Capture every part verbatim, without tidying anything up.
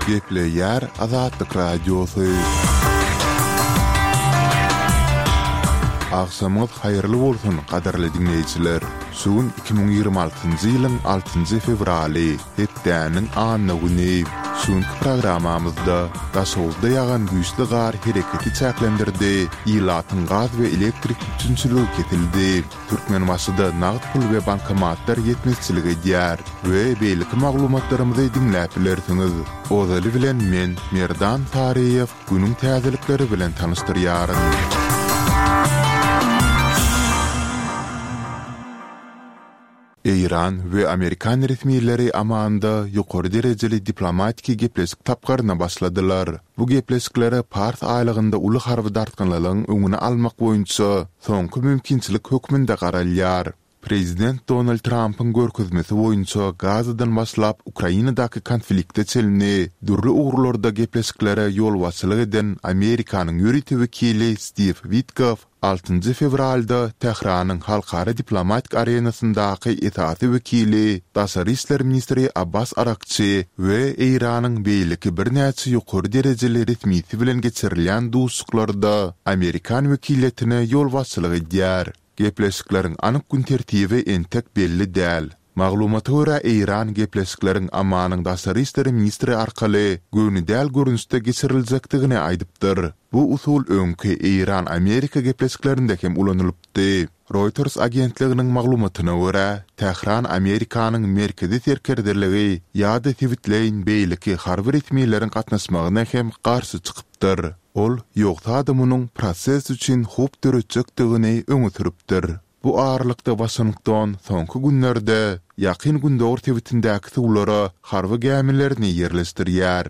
Gepleýär Azatlyk Radiosy. Agşamyňyz haýyrly bolsun, gadyrly diňleýjiler! Şu gün iki müň ýigrimi altynjy ýylyň altynjy fewraly, hepdäniň anna güni. Şu günki programmamyzda Daşoguzda ýagan güýçli gar hereketi çäklendirdi, ilatyň gaz we elektrik üpjünçiligi kesildi. Türkmenbaşyda nagt pul we bankomatlar ýetmezçilik edýär we beýleki maglumatlarymyzy diňläp bilersiňiz. Ozaly bilen men, Merdan Taryýew, günüň täzelikleri bilen tanyşdyrýaryn. Eýran we amerikan resmileri Amanda ýokary derejeli diplomatiki gepleşik tapgyryna başladylar. Bu gepleşiklere Pars aýlagynda uly harby dartgynlylygyň öňüni almak boýunça soňky mümkinçilik hökmünde garalýar. Prezident Donald Trampyň görkezmesi boýunça Gazadan başlap Ukrainadaky konflikte çenli dürli ugurlarda gepleşiklere ýolbaşçylyk eden Amerikanyň ýörite wekili Stiw Witkoff Altynjy fewralda Tähranyň halkara diplomatik arenasyndaky esasy wekili, daşary işler ministri Abbas Arakçi we Eýranyň beýleki birnäçe ýokary derejeli resmisi bilen geçirilýän duşuşyklarda amerikan wekiliýetine ýolbaşçylyk edýär. Gepleşikleriň anyk gün tertibi entek belli däl. Maglumata görä, Eýran gepleşikleriň Omanyň daşary işler ministri arkaly göni däl görnüşde geçiriljekdigini aýdypdyr. Bu usul öňki Eýran-Amerika gepleşiklerinde hem ulanylypdy. Reuters agentliginiň maglumatyna görä, Tähran Amerikanyň merkezi serkerdeligi ýa-da sebitleýin beýleki harby resmileriň gatnaşmagyna hem garşy çykypdyr. Ol, ýogsa-da munuň proses üçin howp döretjekdigini öňe sürüpdir. Bu aralykda Waşington soňky günlerde Ýakyn Gündogar sebitindäki suwlara harby gämilerini ýerleşdirýär.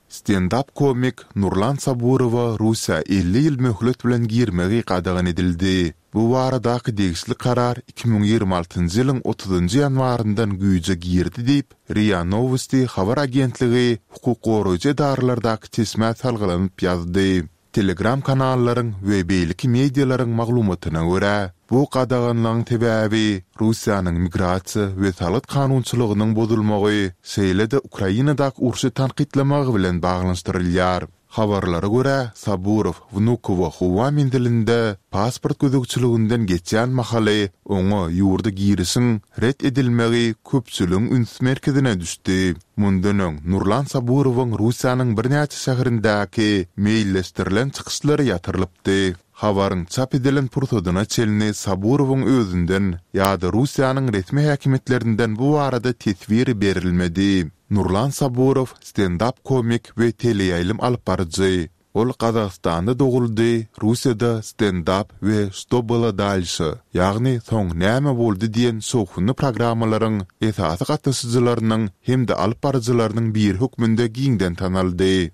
Stendap komik Nurlan Saburowa Russiýa elli ýyl möhlet bilen girmegi gadagan edildi. Bu baradaky degişli karar iki müň ýigrimi altynjy ýylyň otuzynjy ýanwaryndan güýje girdi diýip, RIA Nowosti habar agentligi hukuk goraýjy edaralardaky çeşmä salgylanyp ýazdy. Telegram kanallaryň we beýleki medialaryň maglumatyna görä, bu gadaganlygyň sebäbi Russiýanyň migrasiýa we salgyt kanunçylygynyň bozulmagy, şeýle-de Ukrainadaky urşy tankytlamagy bilen baglanyşdyrylýar. Habarlara görä, Saburow Wnukowo howa menzilinde pasport gözegçiliginden geçýän mahaly oňa ýurda girişiň ret edilmegi köpçüligiň üns merkezine düşdi. Mundan öň, Nurlan Saburowyň Russiýanyň birnäçe şäherindäki meýilleşdirilen çykyşlary ýatyrylypdy. Habaryň çap edilen pursadyna çenli Saburowyň özünden ýa-da Russiýanyň resmi häkimiýetlerinden bu barada teswir berilmedi. Nurlan Saburow stendap komik we teleýaýlym alypbaryjy. Ol Gazagystanda doguldy, Russiýada stendap we Što bylo dalşe, ýagny Soň näme boldy diýen şowhunly programmalaryň esasy gatnaşyjylarynyň hem-de alyp baryjylarynyň biri hökmünde giňden tanaldy.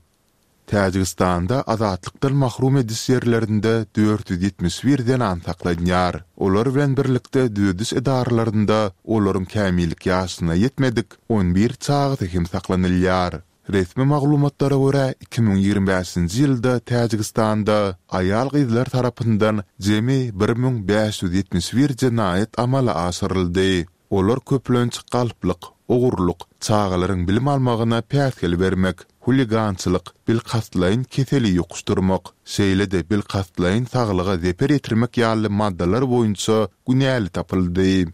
Täjigistanda azatlykdan mahrum ediş ýerlerinde dört ýüz ýetmiş bir zenan saklanýar. Olar bilen birlikde düzediş edaralarynda olaryň kämillik ýaşyna ýetmedik on bir çagasy hem saklanylýar. Resmi maglumatlara görä, iki müň ýigrimi bäşinji ýylda Täjigistanda aýal-gyzlar tarapyndan jemi bir müň bäş ýüz ýetmiş bir jenaýat amala aşyryldy. Olar köplenç galplyk, ogurlyk, çagalaryň bilim almagyna päsgel bermek, huligançylyk, bilkastlaýyn keseli ýokuşdyrmak, şeýle-de bilkastlaýyn saglyga zeper ýetirmek ýaly maddalar boýunça günäli tapyldy.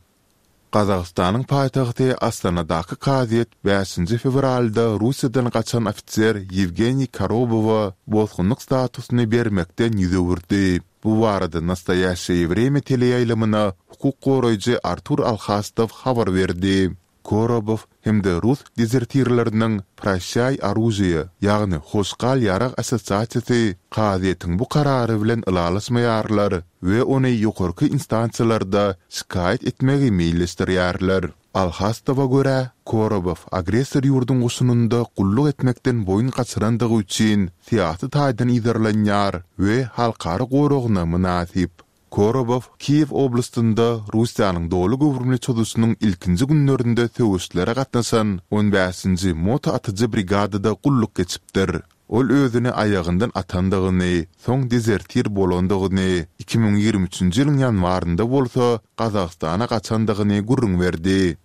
Gazagystanyň paýtagty Astanadaky kazyýet bäşinji fewralda Russiýadan gaçan ofiser Ýewgeniý Korobowa bosgunlyk statusyny bermekden ýüz öwürdi. Bu barada Nastoýaşeýe Wremýa teleýaýlymyna hukuk goraýjy Artur Alhastow habar berdi. Korobow hem-de rus dezertirleriniň Proşşaý oružie, ýagny Hoş gal ýarag assosiasiýasy kazyýetiň bu karary bilen ylalaşmaýarlar we ony ýokarky instansiýalarda şikaýat etmegi meýilleşdirýärler. Alhastowa görä, Korobow agressor ýurduň goşunynda gulluk etmekden boýun gaçyrandygy üçin syýasy taýdan yzarlanýar we halkara goragyna mynasyp. Korobow Kiýew oblastynda Russiýanyň doly göwrümli çozuşynyň ilkinji günlerinde söweşlere gatnaşan on bäşinji moto atyjy brigadada gulluk geçipdir. Ol özüni aýagyndan atandygyny, soň dezertir bolandygyny, iki müň ýigrimi üçünji ýylyň ýanwarynda bolsa Gazagystana gaçandygyny gürrüň berdi.